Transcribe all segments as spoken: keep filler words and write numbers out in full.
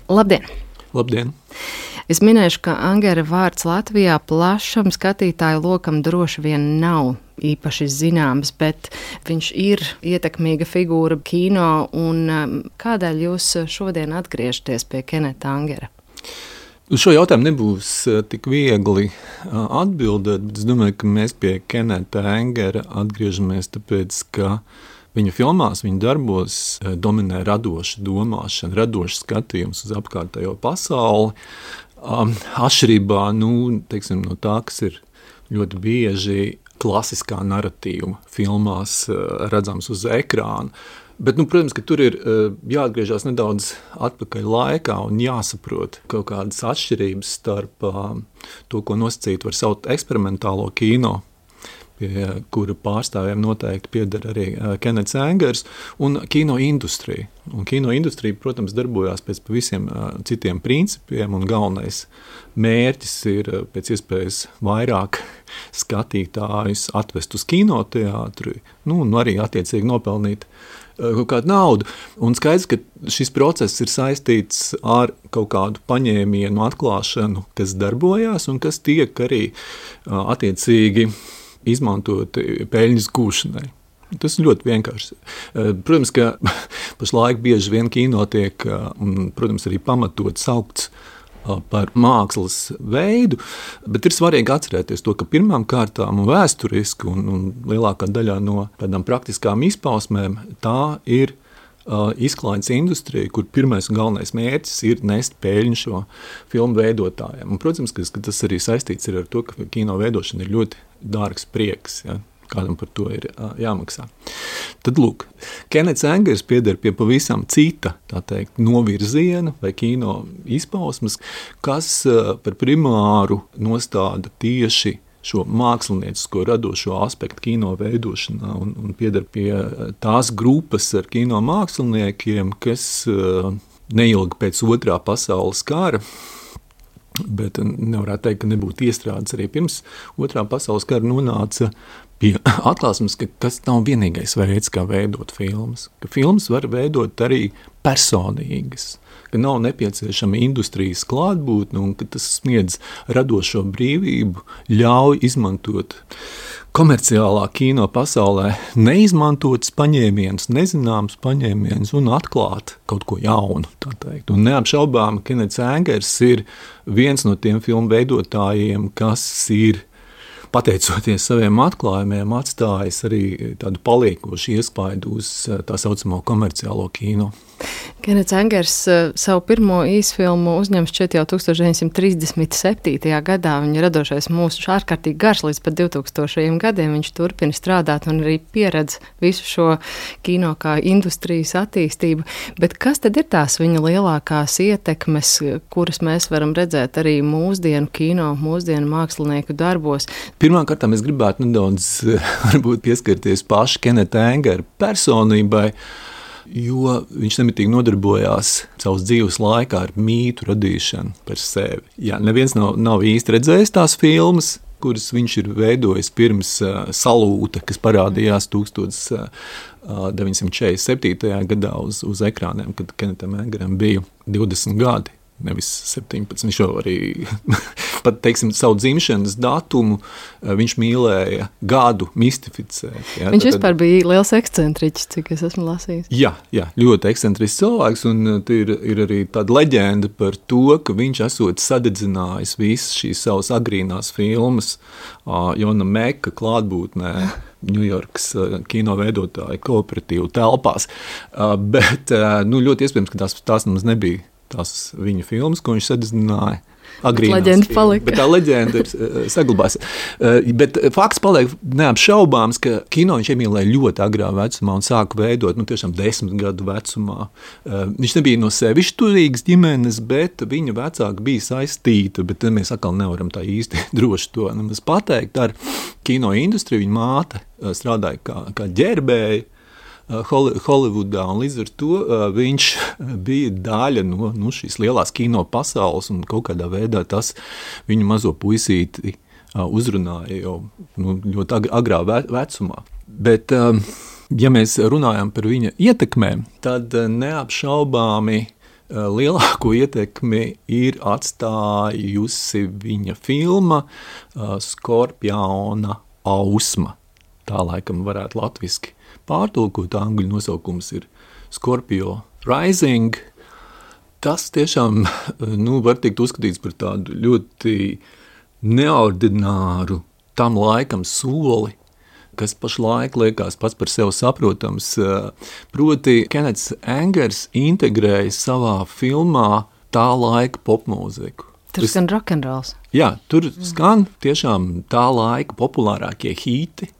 Labdien! Labdien! Es minēšu, ka Angera vārds Latvijā plašam skatītāju lokam droši vien nav īpaši zināms, bet viņš ir ietekmīga figūra kino. Un kādēļ jūs šodien atgriežaties pie Keneta Angera? Uz šo jautājumu nebūs tik viegli atbildēt, bet es domāju, ka mēs pie Keneta Angera atgriežamies tāpēc, ka viņa filmās, viņa darbos dominē radoša domāšana, radošs skatījums uz apkārtējo pasauli. Atšķirībā nu, teiksim, no tā, kas ir ļoti bieži klasiskā narratīva filmās redzams uz ekrāna. Bet, nu, protams, ka tur ir jāatgriežas nedaudz atpakaļ laikā un jāsaprot kaut kādas atšķirības starp to, ko nosacīt var saukt eksperimentālo kino, pie kura pārstāvjiem noteikti pieder arī Kenets Angers, un kino industrija. Un kino industrija, protams, darbojās pēc pavisam citiem principiem, un galvenais mērķis ir pēc iespējas vairāk skatītājus atvest uz kinoteātri, nu, un arī attiecīgi nopelnīt kaut kādu naudu. Un skaidrs, ka šis process ir saistīts ar kaut kādu paņēmienu atklāšanu, kas darbojās un kas tiek arī attiecīgi izmantot peļņas gūšanai. Tas ir ļoti vienkārši. Protams, ka pašlaik bieži vien kino tiek, un, protams, arī pamatot saukts par mākslas veidu, bet ir svarīgi atcerēties to, ka pirmām kārtām un vēsturiski un, un lielākā daļā no tādām praktiskām izpausmēm tā ir uh, izklaides industrija, kur pirmais un galvenais mērķis ir nest peļņu šo filmu veidotājiem. Un, protams, ka, ka tas arī saistīts ir ar to, ka kino veidošana ir ļoti dārgs prieks, ja? Kādam par to ir uh, jāmaksā. Tad, lūk, Kenets Angers pieder pie pavisam cita, tā teikt, novirziena vai kino izpausmes, kas uh, par primāru nostāda tieši šo māksliniecisko radošo aspektu kino veidošanā un, un pieder pie tās grupas ar kino māksliniekiem, kas uh, neilgi pēc otrā pasaules kara, bet nevarētu teikt, ka nebūtu iestrādes arī pirms otrā pasaules kara, nonāca pie atklāsmes, ka tas nav vienīgais veids, kā veidot filmas. Ka filmas var veidot arī personīgas, ka nav nepieciešama industrijas klātbūtne un ka tas sniedz radošo brīvību, ļauj izmantot komerciālā kino pasaulē neizmantotas paņēmienas, nezināmas paņēmienas un atklāt kaut ko jaunu, tā teikt. Un neapšaubām Kenets Angers ir viens no tiem filmu veidotājiem, kas ir pateicoties saviem atklājumiem, atstājis arī tādu paliekošu iespaidu uz tā saucamo komerciālo kino. Kenets Angers savu pirmo īsfilmu uzņem šķiet jau tūkstoš deviņsimt trīsdesmit septītajā gadā. Viņa radošais mūžs ārkārtīgi garš līdz pat divtūkstošajiem gadiem. Viņš turpina strādāt un arī pieredz visu šo kino kā industrijas attīstību. Bet kas tad ir tās viņa lielākās ietekmes, kuras mēs varam redzēt arī mūsdienu kino, mūsdienu mākslinieku darbos? Pirmkārt, es gribētu nedaudz varbūt pieskarties pašu Keneta Angera personībai, jo viņš nemitīgi nodarbojās savas dzīves laikā ar mītu radīšanu par sevi. Jā, neviens nav, nav īsti redzējis tās filmas, kuras viņš ir veidojis pirms uh, Salūta, kas parādījās deviņdesmit četrdesmit septītajā gadā uz, uz ekrāniem, kad Kenetam Angeram bija divdesmit gadi. Nevis septiņpadsmit, viņš jau arī pat, teiksim, savu dzimšanas datumu viņš mīlēja gadu mistificēt. Ja? Viņš vispār tad bija liels ekscentriķis, cik es esmu lasījis. Jā, jā, ļoti ekscentrisks cilvēks, un ir, ir arī tāda leģenda par to, ka viņš esot sadedzinājis visas šīs savas agrīnās filmas uh, Jona Meka klātbūtnē Ņujorkas uh, kino veidotāju kooperatīvu telpās, uh, bet uh, nu, ļoti iespējams, ka tās, tās mums nebija tās viņa filmas, ko viņš sadedzināja agrīnās. Leģenda palika. Bet tā leģenda ir uh, saglabājusies. Uh, bet fakts paliek neapšaubāms, ka kino viņš iemīlēja ļoti agrā vecumā un sāka veidot, nu tiešām desmit gadu vecumā. Uh, viņš nebija no sevišķi turīgas ģimenes, bet viņa vecāka bija saistīta, bet mēs atkal nevaram tā īsti droši to nemaz pateikt. Ar kino industriju viņa māte uh, strādāja kā, kā ģērbēja Holivudā, un līdz ar to uh, viņš bija daļa no, no šīs lielās kino pasaules, un kaut kādā veidā tas viņu mazo puisīti uh, uzrunāja jau nu, ļoti ag- agrā ve- vecumā. Bet, um, ja mēs runājam par viņa ietekmēm, tad uh, neapšaubāmi lielāko ietekmi ir atstājusi viņa filma Skorpiona ausma. Tā laikam varētu latviski pārtulkot, angļu nosaukums ir Scorpio Rising. Tas tiešām nu, var tikt uzskatīts par tādu ļoti neordināru tam laikam soli, kas pašlaik liekas pats par sevi saprotams. Proti, Kenneths Angers integrēja savā filmā tā laika popmūziku. Tur skan rokenrols. Jā, tur skan tiešām tā laika populārākie hīti.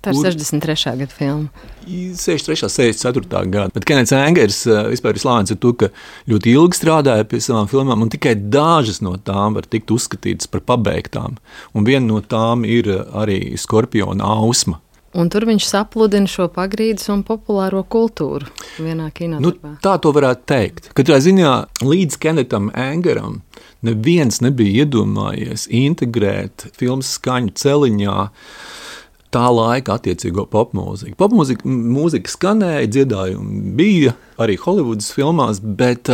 Tā ir sešdesmit trešā gada filma. sešdesmit trešā, sešdesmit ceturtā gada. Bet Kenneths Angers vispār ir slavens ar to, ka ļoti ilgi strādāja pie savām filmām, un tikai dažas no tām var tikt uzskatītas par pabeigtām. Un viena no tām ir arī Skorpiona ausma. Un tur viņš sapludina šo pagrīdes un populāro kultūru vienā kinodarbā. Nu, tā to varētu teikt. Katrā ziņā līdz Kennetham Angeram neviens nebija iedomājies integrēt filmas skaņu celiņā tā laika attiecīgo popmūziku. Popmūzika mūzika skanēja, dziedājumi bija arī Holivudas filmās, bet...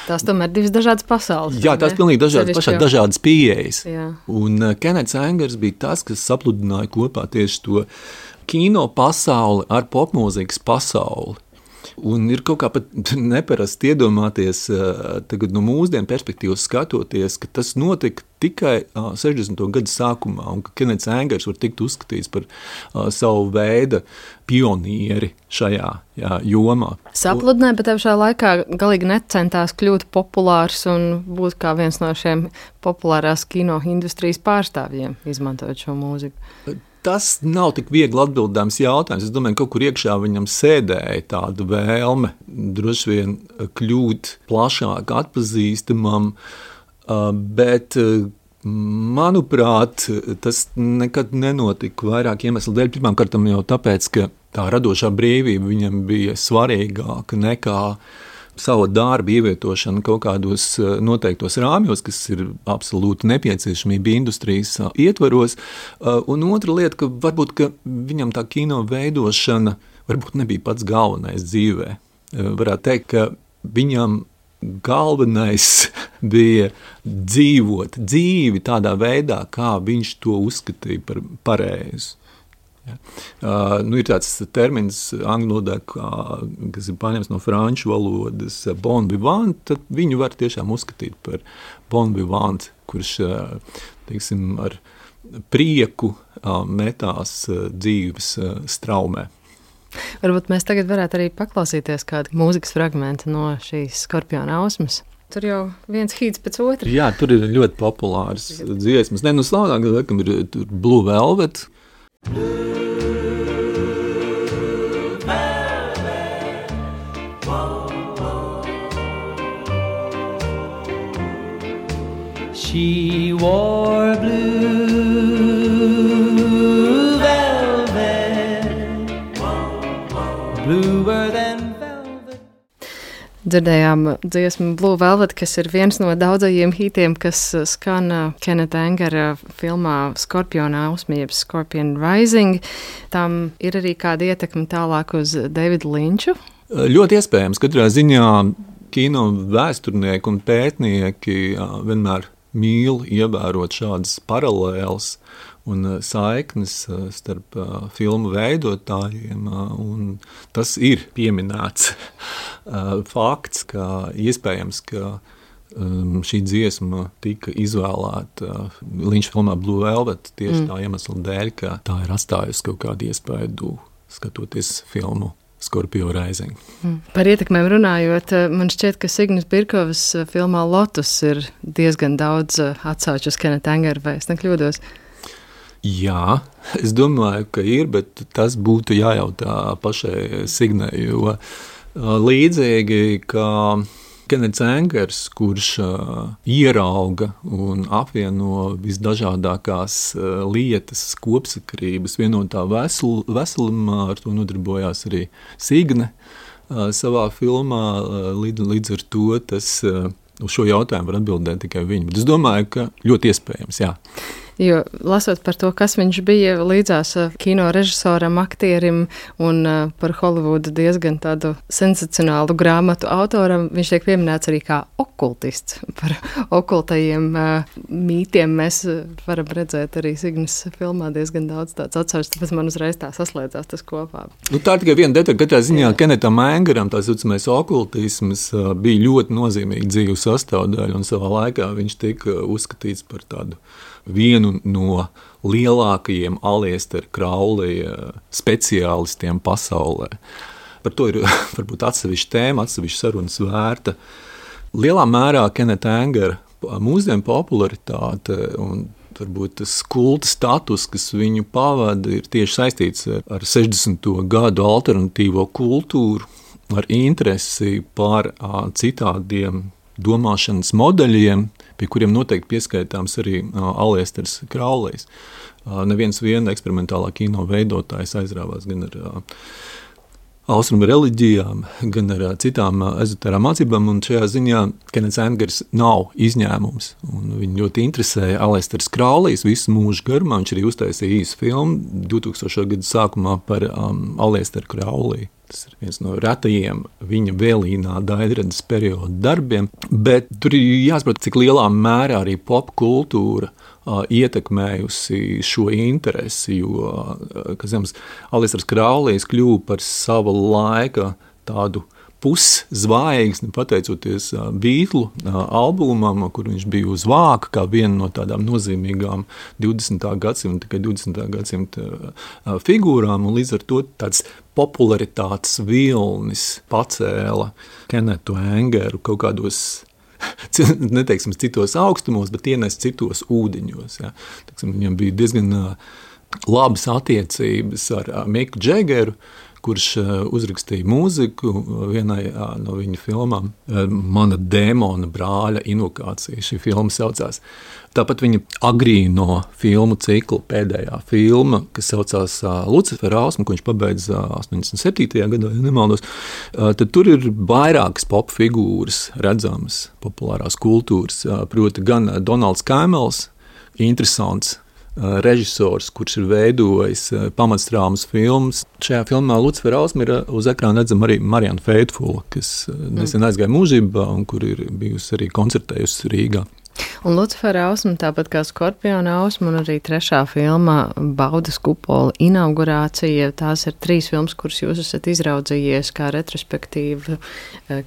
Tās tomēr divas dažādas pasaules. Jā, tās pilnīgi dažādas, pašā dažādas pieejas. Jā. Un Kenneths Angers bija tas, kas sapludināja kopā tieši to kino pasauli ar popmūzikas pasauli. Un ir kaut kā pat neparasti iedomāties tagad no mūsdienu perspektīvas skatoties, ka tas notika tikai sešdesmito gadu sākumā, un ka Kenneths Angers var tikt uzskatīts par uh, savu veidu pionieri šajā jā, jomā. Sapludināja, bet pašā laikā galīgi necentās kļūt populārs un būt kā viens no šiem populārās kino industrijas pārstāvjiem, izmantojot šo mūziku. Tas nav tik viegli atbildāms jautājums. Es domāju, ka kaut kur iekšā viņam sēdēja tāda vēlme droši vien kļūt plašāk atpazīstamam, bet, manuprāt, tas nekad nenotika vairāk iemeslu dēļ. Pirmkārt, jau tāpēc, ka tā radošā brīvība viņam bija svarīgāka nekā savu darbu ievietošanu kaut kādos noteiktos rāmjos, kas ir absolūti nepieciešamība industrijas ietvaros. Un otra lieta, ka varbūt ka viņam tā kino veidošana varbūt nebija pats galvenais dzīvē. Varētu teikt, ka viņam galvenais bija dzīvot dzīvi tādā veidā, kā viņš to uzskatīja par pareizu. Ja. Uh, nu ir tāds termins angļu valodā, kas ir paņemts no franču valodas bon vivant, tad viņu var tiešām uzskatīt par bon vivant, kurš, teiksim, ar prieku uh, metās uh, dzīves uh, straumē. Varbūt mēs tagad varētu arī paklausīties kādu mūzikas fragmentu no šīs Skorpiona ausmas. Tur jau viens hīts pēc otra. Jā, tur ir ļoti populārs dziesmas. Ne, nu slavenāk, laikam ir tur Blue Velvet. She wore blue velvet, bluer than velvet. Dzirdējām dziesmu Blue Velvet, kas ir viens no daudzajiem hītiem, kas skan Kennetha Angera filmā Skorpiona ausma, jeb Scorpion Rising. Tam ir arī kāda ietekme tālāk uz Davidu Linču? Ļoti iespējams. Katrā ziņā kino vēsturnieki un pētnieki vienmēr mīl ievērot šādas paralēles un saiknes starp filmu veidotājiem, un tas ir pieminēts fakts, ka iespējams, ka šī dziesma tika izvēlēta Linča filmā Blue Velvet tieši mm. tā iemesla dēļ, ka tā ir atstājusi kaut kādu iespēju skatoties filmu Scorpio Rising. Par ietekmēm runājot, man šķiet, ka Signis Birkovas filmā Lotus ir diezgan daudz atsauču uz Kennetha Angeru, vai es nekļūdos? Jā, es domāju, ka ir, bet tas būtu jājautā pašai Signai, jo līdzīgi, ka Kenneths Angers, kurš uh, ierauga un apvieno visdažādākās uh, lietas, kopsakarības vienotā vesel, veselumā, ar to nodarbojās arī Signe uh, savā filmā. Uh, līdz, līdz ar to tas, uh, uz šo jautājumu var atbildēt tikai viņi. Bet es domāju, ka ļoti iespējams, jā. Jo lasot par to, kas viņš bija līdzās kino režisoram, aktierim un par Holivudu diezgan tādu sensacionālu grāmatu autoram, viņš tiek pieminēts arī kā okultists. Par okultajiem mītiem mēs varam redzēt arī Signas filmā diezgan daudz tāds atsaucis, tāpēc man uzreiz tā saslēdzās tas kopā. Nu, tā ir tikai viena detaļa, katrā ziņā Kenetam Engeram tā saucamais okultisms bija ļoti nozīmīga dzīves sastāvdaļa, un savā laikā viņš tika uzskatīts par tādu vienu no lielākajiem Aleister Crowley speciālistiem pasaulē. Par to ir varbūt atsevišķa tēma, atsevišķa sarunas vērta. Lielā mērā Keneta Engera mūsdienu popularitāte un varbūt tas kulta status, kas viņu pavada, ir tieši saistīts ar sešdesmito gadu alternatīvo kultūru, ar interesi par citādiem domāšanas modeļiem, pie kuriem noteikti pieskaitāms arī Aleisters Crowleys. Neviens viena eksperimentālā kino veidotājs aizrāvās gan ar austrumu reliģijām, gan ar citām ezotērām mācībām, un šajā ziņā Kenets Engers nav izņēmums. Un viņu ļoti interesēja Aleisters Crowleys visu mūžu garumā. Viņš arī uztaisīja īsu filmu divtūkstošo gadu sākumā par um, Aleisteru Crowley. Tas ir viens no retajiem viņa vēlīnā daļradas perioda darbiem, bet tur ir jāsaprot, cik lielā mērā arī popkultūra uh, ietekmējusi šo interesi, jo, uh, kas jums, Aleisters Crowleys kļuva par sava laika tādu puszvaigzni, pateicoties uh, Beatlu uh, albumam, kur viņš bija uz vāka, kā viena no tādām nozīmīgām divdesmitā gadsimta, tikai divdesmitā gadsimta uh, figūrām, un līdz ar to tāds popularitātes vilnis pacēla Kenetu Engeru kaut kādos, neteiksim, citos augstumos, bet ienes citos ūdeņos. Ja. Teiksim, viņam bija diezgan uh, labas attiecības ar uh, Miku Džegeru, kurš uzrakstīja mūziku vienai no viņa filmām. Mana dēmona brāļa invokācija, šī filma saucās. Tāpat viņa agrīno filmu ciklu pēdējā filma, kas saucās Lucifer Ausma, ko viņš pabeidza astoņdesmit septītajā gadā, ja nemaldos. Tad tur ir vairākas pop figūras redzamas, populārās kultūras, proti gan Donalds Kaimels, interesants režisors, kurš ir veidojis pamatstrāmas filmas. Šajā filmā Lucifer Ausma ir uz ekrāna redzama arī Marianne Faithfull, kas nesen aizgāja mūžībā un kur ir bijusi arī koncertējusi Rīgā. Un Lucifera Ausma, tāpat kā Skorpiona Ausma un arī trešā filma Baudas kupola inaugurācija, tās ir trīs filmas, kuras jūs esat izraudzījies kā retrospektīva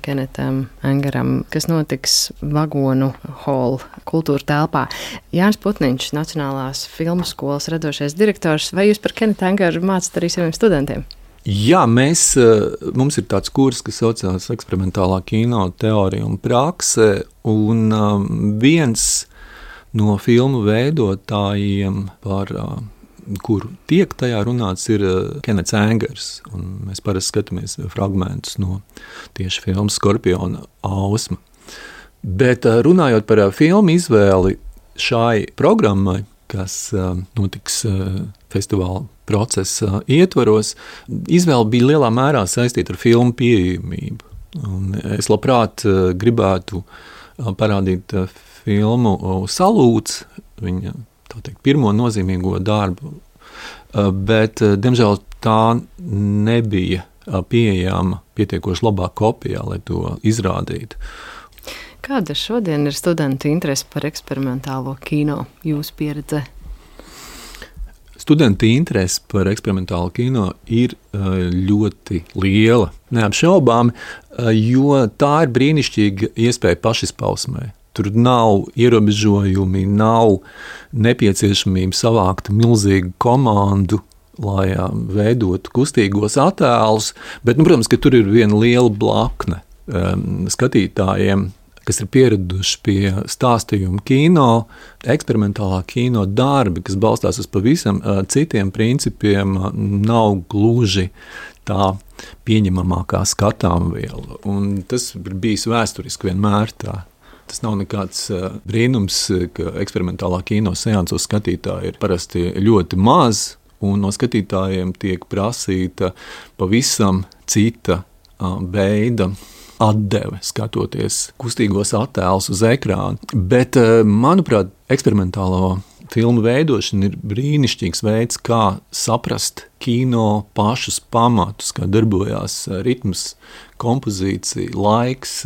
Kenetam Engeram, kas notiks Vagonu hall kultūra telpā. Jānis Putniņš, Nacionālās filmu skolas radošais direktors, vai jūs par Kenetu Engeru mācat arī saviem studentiem? Jā, mēs, mums ir tāds kurs, kas saucās eksperimentālā kino teorija un prakse, un um, viens no filmu veidotājiem, par uh, kuru tiek tajā runāts, ir uh, Kenets Engers, un mēs parasti skatāmies fragmentus no tieši filmas Skorpiona Ausma. Bet uh, runājot par uh, filmu izvēli šai programmai, kas uh, notiks uh, festivāla procesa ietvaros, izvēle bija lielā mērā saistīta ar filmu pieejamību. Un es labprāt gribētu parādīt filmu Salūts, viņa, tā teikt, pirmo nozīmīgo darbu, bet, diemžēl, tā nebija pieejama pietiekoši labā kopijā, lai to izrādītu. Kāda šodien ir studentu interese par eksperimentālo kino, jūsu pieredze? Studenti interese par eksperimentālo kino ir ļoti liela, neapšaubāmi, jo tā ir brīnišķīga iespēja pašizpausmē. Tur nav ierobežojumi, nav nepieciešamība savākt milzīgu komandu, lai veidotu kustīgos attēlus, bet, nu, protams, ka tur ir viena liela blakne skatītājiem, kas ir pieraduši pie stāstījuma kino, eksperimentālā kino darbi, kas balstās uz pavisam uh, citiem principiem, uh, nav gluži tā pieņemamākā skatāmviela. Un tas ir bijis vēsturiski vienmēr tā. Tas nav nekāds uh, brīnums, ka eksperimentālā kino seansos skatītāji ir parasti ļoti maz, un no skatītājiem tiek prasīta pavisam cita uh, veida atdeve, skatoties kustīgos attēlus uz ekrāna. Bet, manuprāt, eksperimentālo filmu veidošana ir brīnišķīgs veids, kā saprast kino pašus pamatus, kā darbojās ritms, kompozīcija, laiks,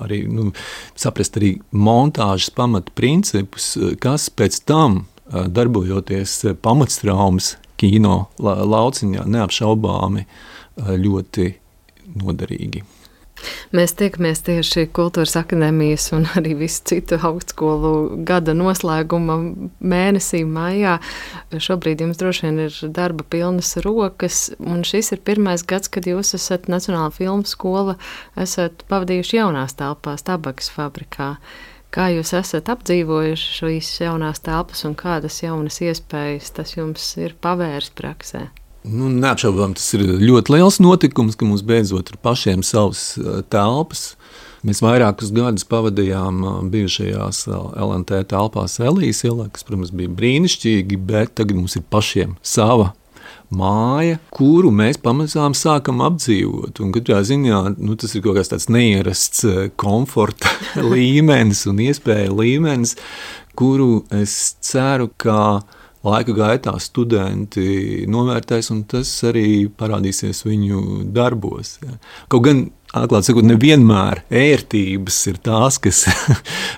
arī nu, saprast arī montāžas pamatu principus, kas pēc tam, darbojoties pamatstraumas kino lauciņā, neapšaubāmi ļoti noderīgi. Mēs tiekamies tieši Kultūras akadēmijas un arī visu citu augstskolu gada noslēguma mēnesī maijā. Šobrīd jums droši vien ir darba pilnas rokas, un šis ir pirmais gads, kad jūs esat Nacionāla filmu skola, esat pavadījuši jaunās telpās Tabakas fabrikā. Kā jūs esat apdzīvojuši šīs jaunās telpas un kādas jaunas iespējas tas jums ir pavērs praksē? Nu, neapšaubām, tas ir ļoti liels notikums, ka mums beidzot ir pašiem savas telpas. Mēs vairākus gadus pavadījām bijušajās L N T telpās Elijas ielā, kas, protams, bija brīnišķīgi, bet tagad mums ir pašiem sava māja, kuru mēs pamazām sākam apdzīvot. Un katrā ziņā nu, tas ir kaut kāds tāds neierasts komforta līmenis un iespēja līmenis, kuru es ceru, ka laika gaitā studenti novērtēs, un tas arī parādīsies viņu darbos. Ja. Kaut gan, atklāt sakot, nevienmēr ērtības ir tās, kas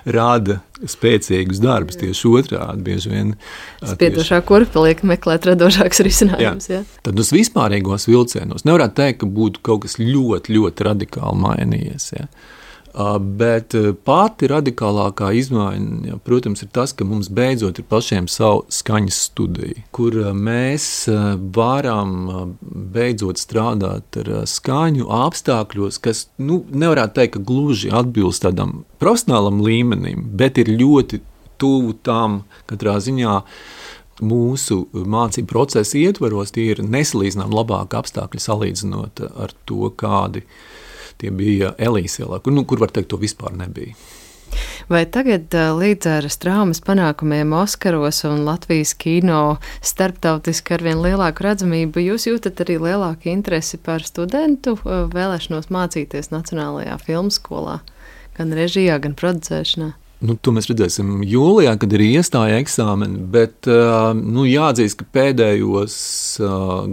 rāda spēcīgus darbus, tieši otrādi bieži vien. Spiedošā kurpa liek meklēt radošāks risinājums. Ja. Tad uz vispārīgos vilcienos nevarētu teikt, ka būtu kaut kas ļoti, ļoti radikāli mainījies. Ja. Bet pati radikālākā izmaiņa, protams, ir tas, ka mums beidzot ir pašiem savu skaņas studiju, kur mēs varam beidzot strādāt ar skaņu apstākļos, kas, nu, nevarētu teikt, ka gluži atbilst tādam profesionālam līmenim, bet ir ļoti tuvu tam katrā ziņā mūsu mācību procesa ietvaros, tie ir nesalīdzinām labāki apstākļi salīdzinot ar to, kādi tie bija Elijas ielā, kur, nu, kur var teikt, to vispār nebija. Vai tagad līdz ar Straumes panākumiem Oskaros un Latvijas kino starptautiski arvien lielāku redzamību, jūs jūtat arī lielāku interesi par studentu vēlēšanos mācīties Nacionālajā filmu skolā, gan režijā, gan producēšanā? Nu, to mēs redzēsim jūlijā, kad ir iestāja eksāmeni, bet nu, jāatzīst, ka pēdējos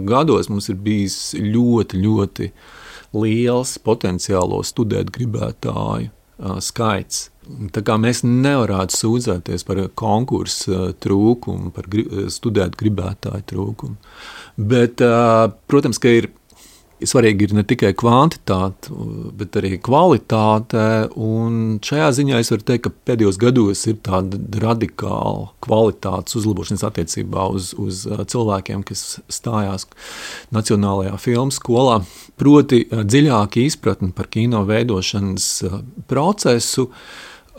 gados mums ir bijis ļoti, ļoti liels potenciālo studēt gribētāju uh, skaits. Tā kā mēs nevarētu sūdzēties par konkursu trūkumu, par gri, studēt gribētāju trūkumu. Bet, uh, protams, ka ir svarīgi ir ne tikai kvantitāte, bet arī kvalitāte, un šajā ziņā es varu teikt, ka pēdējos gados ir tāda radikāla kvalitātes uzlabošanas attiecībā uz, uz cilvēkiem, kas stājās Nacionālajā filmu skolā, proti dziļāka izpratne par kino veidošanas procesu,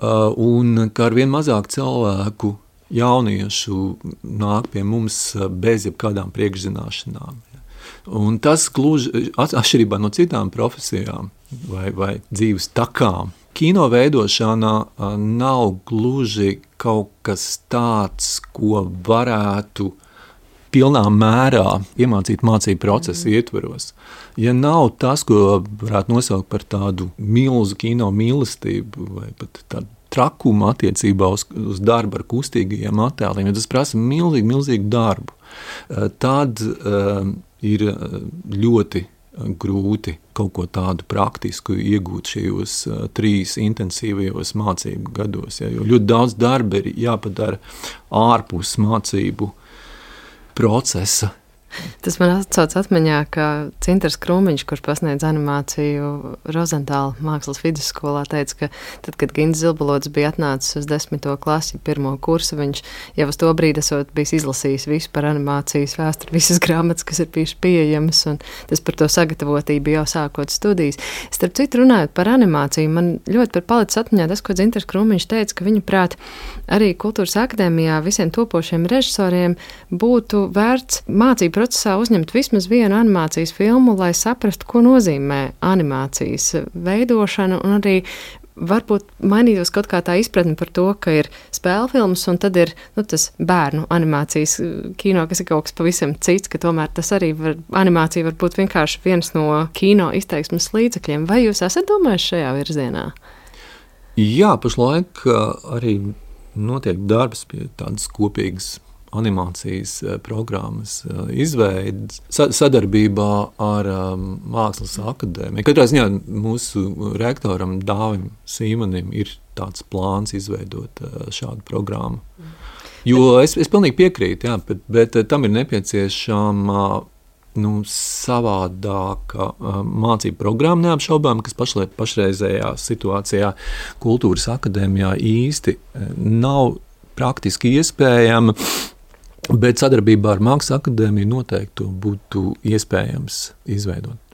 un ka arvien mazāk cilvēku jauniešu nāk pie mums bez jebkādām priekšzināšanām. Un tas gluži atšķirībā no citām profesijām vai, vai dzīves takām. Kino veidošanā nav gluži kaut kas tāds, ko varētu pilnā mērā iemācīt mācību procesu ietveros. Ja nav tas, ko varētu nosaukt par tādu milzu kino mīlestību vai pat tādu trakumu attiecībā uz, uz darbu ar kustīgajiem attēliem, ja tas prasa milzīgi, milzīgu darbu, tad uh, ir ļoti grūti kaut ko tādu praktisku iegūt šajos uh, trīs intensīvajos mācību gados. Ja, jo ļoti daudz darba ir jāpadara ārpus mācību procesa. Tas man atsauc atmiņā, ka Cintars Krūmiņš, kurš pasniedz animāciju Rozentāla mākslas vidusskolā, teica, ka tad, kad Gins Zilbalots bija atnācis uz desmito klasi, pirmo kursu, viņš jau uz to brīdi esot bijis izlasījis visu par animācijas vēsturi, visas grāmatas, kas ir bijušas pieejamas, un tas par to sagatavotību jau sākot studijas. Starp citu, runājot par animāciju, man ļoti par palicis atmiņā tas, ko Cintars Krūmiņš teica, ka viņa prāt arī Kultūras akadēmijā visiem topošiem režisoriem būtu vērts mācību procesā uzņemt vismaz vienu animācijas filmu, lai saprastu, ko nozīmē animācijas veidošana, un arī varbūt mainītos kaut kā tā izpratne par to, ka ir spēlfilmas, un tad ir nu, tas bērnu animācijas kino, kas ir kaut kas pavisam cits, ka tomēr tas arī var, animācija var būt vienkārši viens no kino izteiksmes līdzekļiem. Vai jūs esat domājuši šajā virzienā? Jā, pašlaik arī notiek darbs pie tādas kopīgas animācijas programmas izveidas sadarbībā ar um, Mākslas akadēmiju. Katrā ziņā mūsu rektoram Dāvim Sīmanim ir tāds plāns izveidot šādu programmu. Jo es, es pilnīgi piekrītu, jā, bet, bet tam ir nepieciešama nu, savādāka uh, mācību programma neapšaubām, kas pašlai, pašreizējā situācijā Kultūras akadēmijā īsti nav praktiski iespējama, bet sadarbībā ar Mākslas akadēmiju noteikti būtu iespējams izveidot.